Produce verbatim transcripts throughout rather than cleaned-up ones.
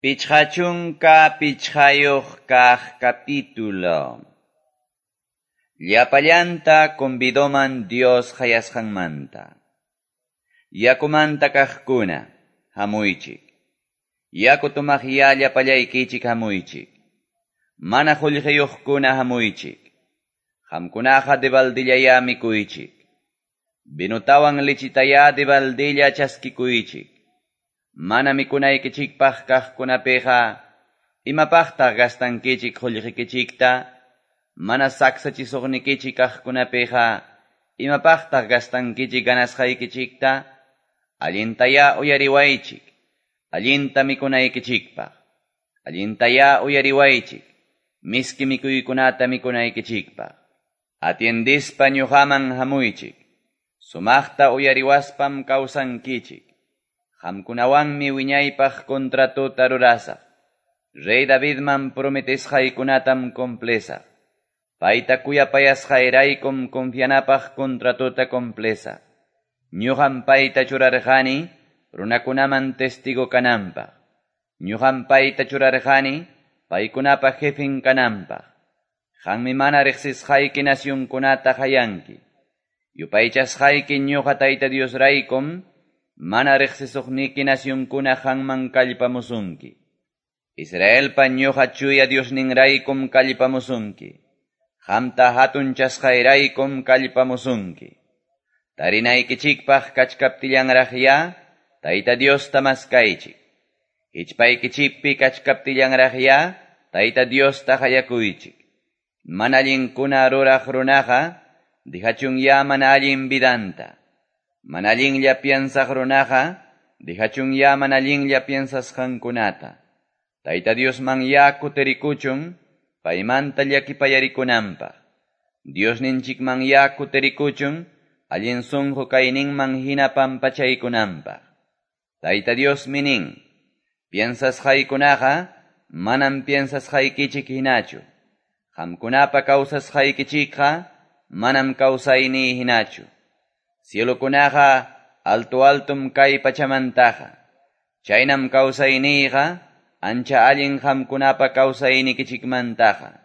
Pichqa chunka pichqayuq kaq capítulo. Llapallanta convidoman Dios qayasqanmanta. Yakumanta kaqkuna, hamuychik. Yaku tomaqyá llapallaykichik hamuychik. Mana qullqiyuqkuna hamuychik. Qamkunaqa debaldillayá mikuychik. Vinutawan lichitayá debaldilla chaskikuychik. Mana mikunaykichikpaq kaqkunapiqa, imapaqtaq gastankichik qullqikichikta? Mana saksachisuqnikichik kaqkunapiqa, imapaqtaq gastankichik ganasqaykichikta? Allintayá uyariwaychik, allinta mikunaykichikpaq. Allintayá uyariwaychik, miski mikuykunata mikunaykichikpaq. Atiendispa ñuqaman hamuychik, sumaqta uyariwaspam kawsankichik. Qamkunawanmi wiñaypaq contratota rurasaq. Rey Davidman prometesqaykunatam complesaq. Payta kuyapayasqayraykum confianapaq contratota complesaq. Ñuqam payta churarqani runakunaman testigo kananpaq. Ñuqam payta churarqani paykunapa jefen kananpaq. Qanmi mana riqsisqayki nacionkunata qayanki. Yupaychasqayki ñuqa Tayta Diosraykum mana riqsisuqniki nacionkuna qanman kallpamusunki. Israelpa ñuqa chuya Diosninraykum kallpamusunki. Qamta hatunchasqayraykum kallpamusunki. Tarinaykichikpaq kachkaptillanraqyá Tayta Diosta maskaychik. Hichpaykichikpi kachkaptillanraqyá Tayta Diosta qayakuychik. Mana allinkuna ruraq runaqa dihachunyá mana allin vidanta. Mana allinlla piensaq runaqa dihachunyá mana allinlla piensasqankunata. Tayta Diosman ya kutirikuchun paymanta llakipayarikunanpaq. Diosninchikman ya kutirikuchun allin sunqu kayninman hina pampachaykunanpaq. Tayta Diosmi nin, piensasqaykunaqa manam piensasqaykichik hinachu. Qamkunapa kawsasqaykichikqa manam kawsayniy hinachu. Cielokunaqa alto altum kay pachamantaqa. Chaynam kawsayniyqa ancha allin qamkunapa kawsaynikichikmantaqa.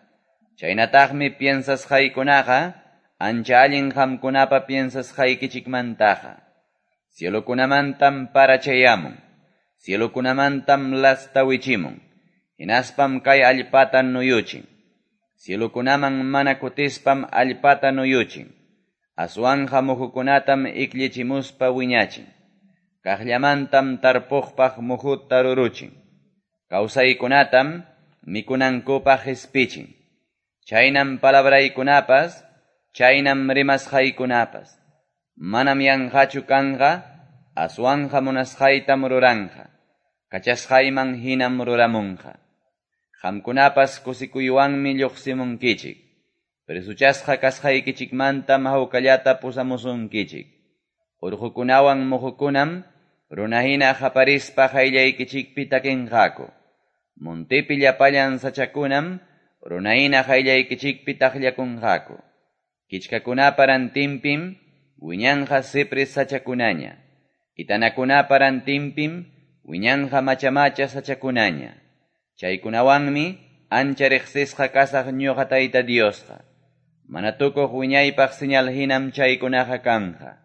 Chaynataqmi piensasqaykunaqa ancha allin qamkunapa piensasqaykichikmantaqa. Cielokunamantam parachayamun. Cielokunamantam lasta wichimun. Hinaspam kay allpata nuyuchin. Cielokunaman mana kutispam allpata nuyuchin. Aswanja muhukunatam iklichimuspa wiñachin. Kaqllamantam tarpuqpaq muhuta ruruchin. Kawsaykunatam mikunankupaq qispichin. Chaynam palabraykunapas, chaynam rimasqaykunapas. Manam yanqachu kanqa, aswanja munasqaytam ruranqa. Kachasqayman hinam ruramunqa. Qamkunapas kusikuywanmi lluqsimunkichik. Presuchasqa kasqaykichikmantam hawkallata pusamusunkichik. Urqukunawan muhukunam runahina qaparispa qayllaykichikpi takinqaku. Montepi llapallan sachakunam runahina qayllaykichikpi taqllakunqaku. Kichkakunapa rantinpim wiñanqa cipres sachakunaña. Itanakunapa rantinpim wiñanqa machamacha sachakunaña. Chaykunawanmi ancha riqsisqa kasaq ñuqa Tayta Diosqa. Mana tukuq wiñaypaq señal hinam chaykunaqa kanja.